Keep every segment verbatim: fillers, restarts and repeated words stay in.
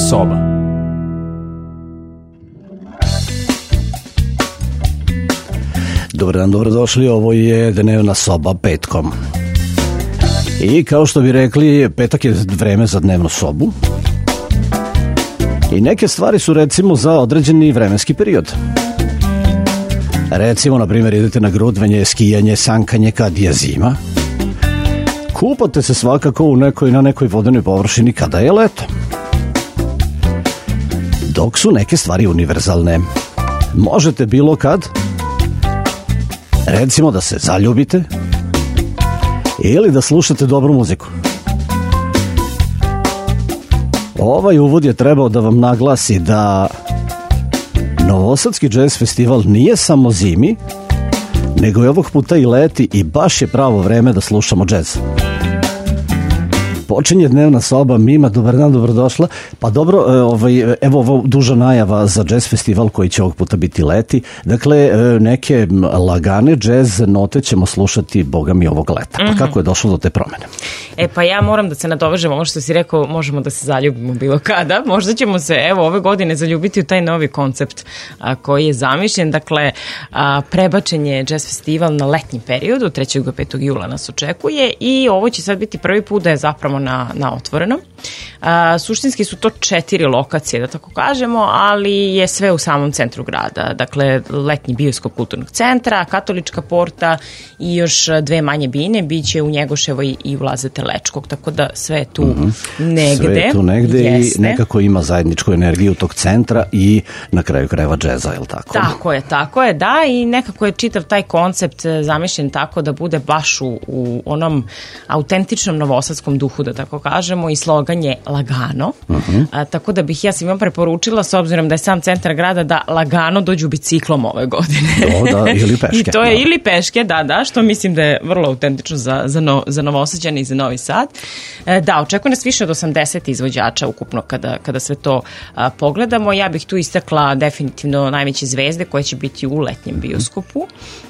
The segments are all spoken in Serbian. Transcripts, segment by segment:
soba. Dobar dan, dobrodošli, ovo je Dnevna soba petkom. I kao što bi rekli, petak je vreme za dnevnu sobu. I neke stvari su recimo za određeni vremenski period. Recimo, na primjer, idete na grudvenje, skijanje, sankanje kad je zima. Kupate se svakako u nekoj, na nekoj vodenoj površini kada je leto. Dok su neke stvari univerzalne. Možete bilo kad, recimo da se zaljubite ili da slušate dobru muziku. Ovaj uvod je trebao da vam naglasi da Novosadski jazz festival nije samo zimi, nego je ovog puta i leti i baš je pravo vreme da slušamo jazz. Počinje dnevna soba, Mima, dobar dan, dobrodošla. Pa dobro, ovaj, evo ovo duža najava za jazz festival koji će ovog puta biti leti. Dakle, neke lagane jazz note ćemo slušati, boga mi, ovog leta. Pa mm-hmm. kako je došlo do te promene? E pa ja moram da se nadovežem, ovo što si rekao, možemo da se zaljubimo bilo kada. Možda ćemo se, evo, ove godine zaljubiti u taj novi koncept a, koji je zamišljen. Dakle, a, prebačen je jazz festival na letnji period, od trećeg do petog jula nas očekuje i ovo će sad biti prvi put da je zapravo na, na otvorenom. A, suštinski su to četiri lokacije, da tako kažemo, ali je sve u samom centru grada. Dakle, letnji bioskop kulturnog centra, Katolička porta i još dve manje bine, bit će u Njegoševoj i u Lazete Lečkog, tako da sve je tu mm-hmm. negde. Sve je tu negde jeste. I nekako ima zajedničku energiju tog centra i na kraju krajeva džeza, je li tako? Tako je, tako je, da, i nekako je čitav taj koncept zamišljen tako da bude baš u, u onom autentičnom novosadskom duhu, da tako kažemo, i slogan je lagano, uh-huh. a, tako da bih ja svima preporučila, s obzirom da je sam centar grada, da lagano dođu biciklom ove godine. Do, da, ili peške. I to je da. Ili peške, da, da, što mislim da je vrlo autentično za, za, no, za Novosađane i za Novi Sad. E, da, očekuje nas više od osamdeset izvođača ukupno kada, kada sve to a, pogledamo. Ja bih tu istakla definitivno najveće zvezde koje će biti u letnjem bioskopu.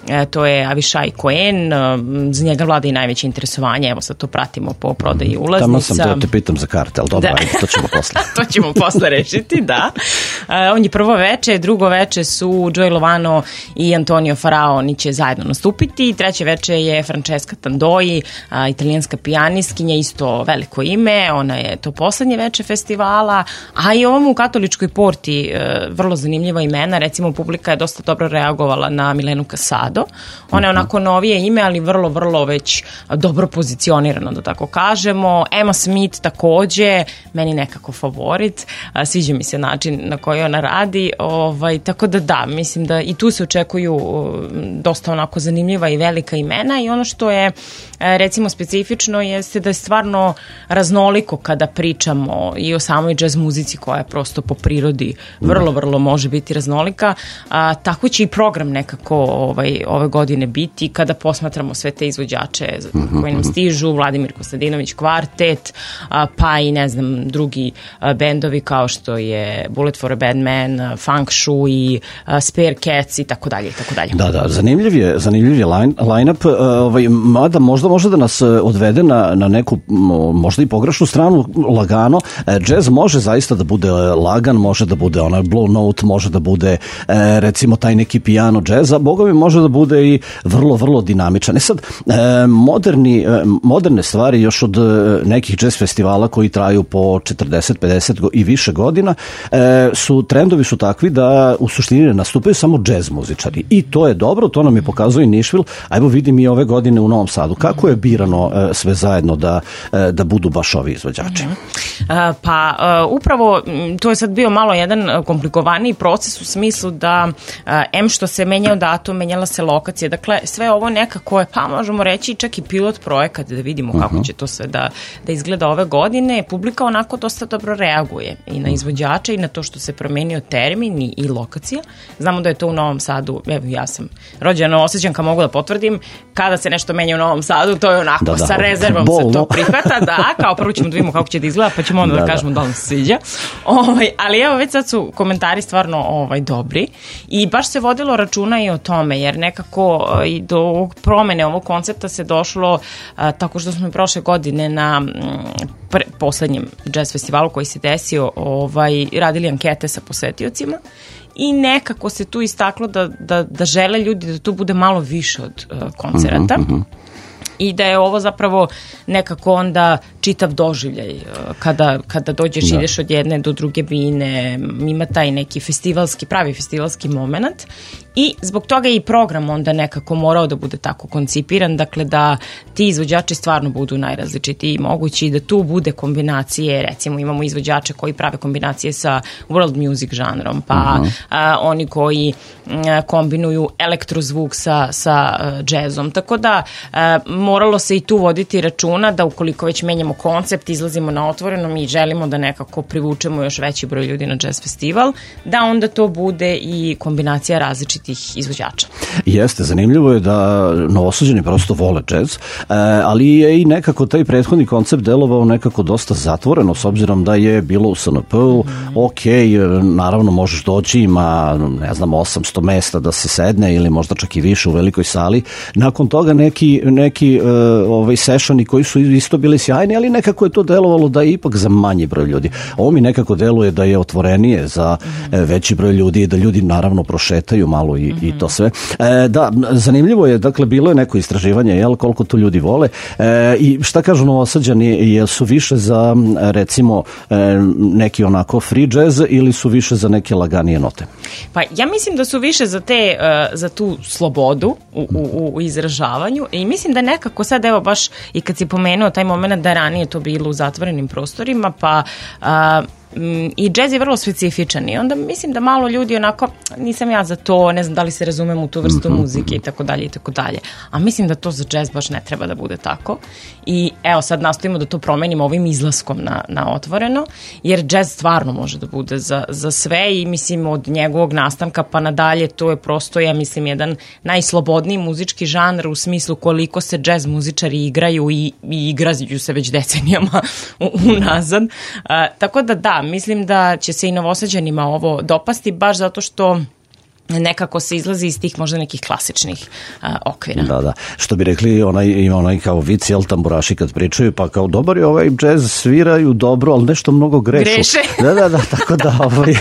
E, to je Avišaj Cohen, za njega vlada i najveće interesovanje, evo sad to pratimo po prodaji ulaznica. Tamo sam da te pitam za karte, ali dobro, ajde, to ćemo posle. To ćemo posle rešiti, da. Uh, on je prvo veče, drugo veče su Joey Lovano i Antonio Farao, oni će zajedno nastupiti. Treće veče je Francesca Tandoi, uh, italijanska pijaniskinja, isto veliko ime, ona je to poslednje veče festivala, a i ovom u Katoličkoj porti uh, vrlo zanimljiva imena, recimo publika je dosta dobro reagovala na Milenu Casado. Ona je onako novije ime, ali vrlo, vrlo već dobro pozicionirano, da tako kažemo. Emma Smith takođe, meni nekako favorit, a, sviđa mi se način na koji ona radi, ovaj, tako da da, mislim da i tu se očekuju uh, dosta onako zanimljiva i velika imena i ono što je recimo specifično jeste da je stvarno raznoliko kada pričamo i o samoj jazz muzici koja je prosto po prirodi vrlo, vrlo može biti raznolika, a, tako će i program nekako ovaj, ove godine biti kada posmatramo sve te izvođače koji nam stižu, Vladimir Kostadinović kvartet, a, pa i ne znam drugi a, bendovi kao što je Bullet for a Bad Man, Funk Shui, a, Spare Cats i tako dalje i tako dalje. Da, da, zanimljiv je, zanimljiv je line, line-up, ovaj, mada možda može da nas odvede na, na neku možda i pogrešnu stranu, lagano. Jazz može zaista da bude lagan, može da bude onaj blow note, može da bude recimo taj neki piano jazz, a boga mi može da bude i vrlo, vrlo dinamičan. E sad, moderni, moderne stvari još od nekih jazz festivala koji traju po četrdeset pedeset i više godina su, trendovi su takvi da u suštini ne nastupaju samo jazz muzičari. I to je dobro, to nam je pokazuje Nišvil, a evo vidim i ove godine u Novom Sadu. Kako je birano e, sve zajedno da, e, da budu baš ovi izvođači? Mm-hmm. A, pa uh, upravo to je sad bio malo jedan komplikovaniji proces u smislu da uh, em što se menjao datum, menjala se lokacija, dakle sve ovo nekako je, pa možemo reći čak i pilot projekat da vidimo kako uh-huh. će to sve da, da izgleda ove godine. Publika onako dosta dobro reaguje i na izvođače i na to što se promenio termin i, i lokacija. Znamo da je to u Novom Sadu, evo ja sam rođena Novosađanka, mogu da potvrdim, kada se nešto menja u Novom Sadu Novom Sadu, to je onako, da, da, sa rezervom bolno se to prihvata, da, kao prvo ćemo da vidimo kako će da izgleda, pa ćemo onda da, da kažemo da nam se sviđa. Ovaj, ali evo, već sad su komentari stvarno ovaj, dobri i baš se vodilo računa i o tome, jer nekako i do ovog promene ovog koncepta se došlo a, tako što smo i prošle godine na pre, poslednjem jazz festivalu koji se desio ovaj, radili ankete sa posetiocima i nekako se tu istaklo da, da, da žele ljudi da tu bude malo više od uh, koncerata. Mm-hmm. I da je ovo zapravo nekako onda čitav doživljaj kada, kada dođeš, da. ideš od jedne do druge bine, ima taj neki festivalski, pravi festivalski moment i zbog toga je i program onda nekako morao da bude tako koncipiran, dakle da ti izvođači stvarno budu najrazličitiji mogući i da tu bude kombinacije, recimo imamo izvođače koji prave kombinacije sa world music žanrom, pa uh-huh. a, oni koji a, kombinuju elektrozvuk sa, sa a, džezom, tako da a, moralo se i tu voditi računa da ukoliko već menjamo koncept, izlazimo na otvorenom i želimo da nekako privučemo još veći broj ljudi na jazz festival, da onda to bude i kombinacija različitih izvođača. Jeste, zanimljivo je da Novosađani prosto vole džez, ali je i nekako taj prethodni koncept delovao nekako dosta zatvoreno, s obzirom da je bilo u S N P-u, mm-hmm. ok, naravno možeš doći, ima, ne znam, osamsto mesta da se sedne ili možda čak i više u velikoj sali. Nakon toga neki, neki uh, ovaj, sešani koji su isto bili sjajni, ali nekako je to delovalo da je ipak za manji broj ljudi. Ovo mi nekako deluje da je otvorenije za mm-hmm. veći broj ljudi i da ljudi naravno prošetaju malo i, mm-hmm. i to sve. E, da, zanimljivo je, dakle, bilo je neko istraživanje, jel, koliko to ljudi vole e, i šta kažu Novosađani, jel su više za, recimo, e, neki onako free jazz ili su više za neke laganije note? Pa ja mislim da su više za te, uh, za tu slobodu u, u, u izražavanju i mislim da nekako sad, evo baš i kad si pomenuo taj moment da ranije to bilo u zatvorenim prostorima, pa uh, i džez je vrlo specifičan i onda mislim da malo ljudi onako, nisam ja za to, ne znam da li se razumem u tu vrstu muzike i tako dalje i tako dalje, a mislim da to za džez baš ne treba da bude tako i evo sad nastojimo da to promenimo ovim izlaskom na, na otvoreno, jer džez stvarno može da bude za, za sve i mislim od njegovog nastanka pa nadalje to je prosto, ja mislim, jedan najslobodniji muzički žanr u smislu koliko se džez muzičari igraju i, i igraju se već decenijama unazad, a, tako da da, mislim da će se i Novosađanima ovo dopasti baš zato što nekako se izlazi iz tih možda nekih klasičnih a, okvira. Da, da. Što bi rekli, onaj, ima onaj kao vic, jel, tamburaši kad pričaju, pa kao dobar je ovaj džez, sviraju dobro, ali nešto mnogo grešu. Greše. Da, da, da, tako da ovaj,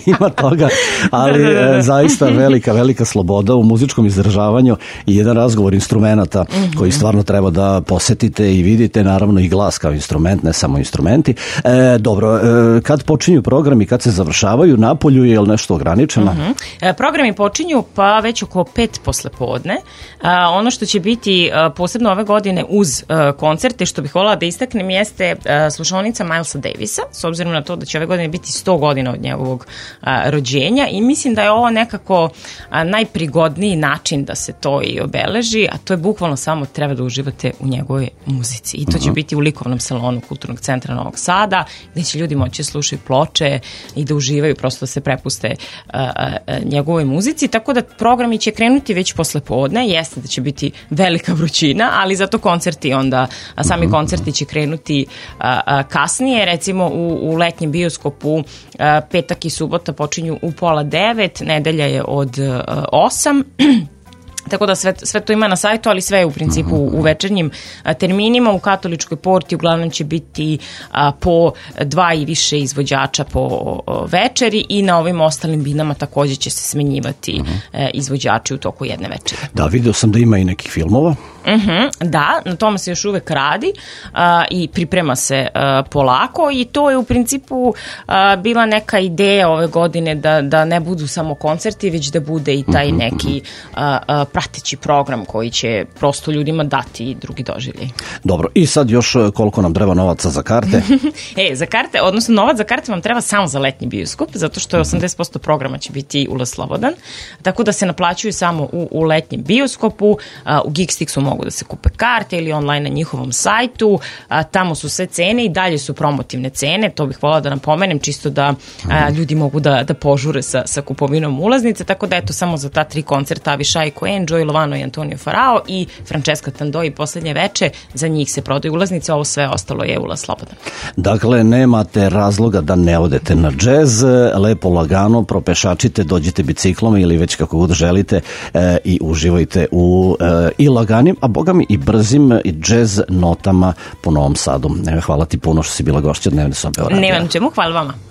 ima toga, ali da, da, da. zaista velika, velika sloboda u muzičkom izražavanju i jedan razgovor instrumenata mm-hmm. koji stvarno treba da posetite i vidite, naravno i glas kao instrument, ne samo instrumenti. E, dobro, e, kad počinju programi, kad se završavaju, napolju je li nešto ograničeno? Mm-hmm. E, program Programi počinju pa već oko pet posle podne. A, ono što će biti a, posebno ove godine uz a, koncerte, što bih voljela da istaknem, jeste a, slušaonica Milesa Davisa, s obzirom na to da će ove godine biti sto godina od njegovog a, rođenja i mislim da je ovo nekako a, najprigodniji način da se to i obeleži, a to je bukvalno samo treba da uživate u njegovoj muzici. I to će uh-huh. biti u likovnom salonu Kulturnog centra Novog Sada, gde će ljudi moći slušati ploče i da uživaju, prosto da se prepuste a, a, njegovoj muzici, tako da programi će krenuti već posle podne, jeste da će biti velika vrućina, ali zato koncerti onda, a sami koncerti će krenuti a, a, kasnije, recimo u, u letnjem bioskopu a, petak i subota počinju u pola devet, nedelja je od a, osam, tako da sve, sve to ima na sajtu, ali sve je u principu u večernjim a, terminima. U Katoličkoj porti uglavnom će biti a, po dva i više izvođača po a, večeri i na ovim ostalim binama takođe će se smenjivati uh-huh. a, izvođači u toku jedne večeri. Da, vidio sam da ima i nekih filmova. Uh-huh, da, na tome se još uvek radi a, i priprema se a, polako i to je u principu a, bila neka ideja ove godine da, da ne budu samo koncerti, već da bude i taj neki a, a, prateći program koji će prosto ljudima dati drugi doživljaj. Dobro, i sad još koliko nam treba novaca za karte? e, za karte, odnosno novac za karte vam treba samo za letnji bioskop, zato što je osamdeset posto programa će biti ulaz slobodan, tako da se naplaćuju samo u, u letnjem bioskopu, a, u Geekstixu mogu mogu da se kupe karte ili online na njihovom sajtu, a, tamo su sve cene i dalje su promotivne cene, to bih voljela da napomenem, čisto da a, ljudi mogu da, da požure sa, sa kupovinom ulaznice, tako da eto samo za ta tri koncerta Avishai Cohen, Joey Lovano i Antonio Farao i Francesca Tandoi poslednje veče, za njih se prodaju ulaznice, ovo sve ostalo je ulaz slobodan. Dakle, nemate razloga da ne odete na džez, lepo lagano propešačite, dođite biciklom ili već kako god želite e, i uživajte u e, i laganim, a boga mi i brzim i džez notama po Novom Sadu. E, hvala ti puno što si bila gošća Dnevne sobe o radiju. Nema na čemu, hvala vama.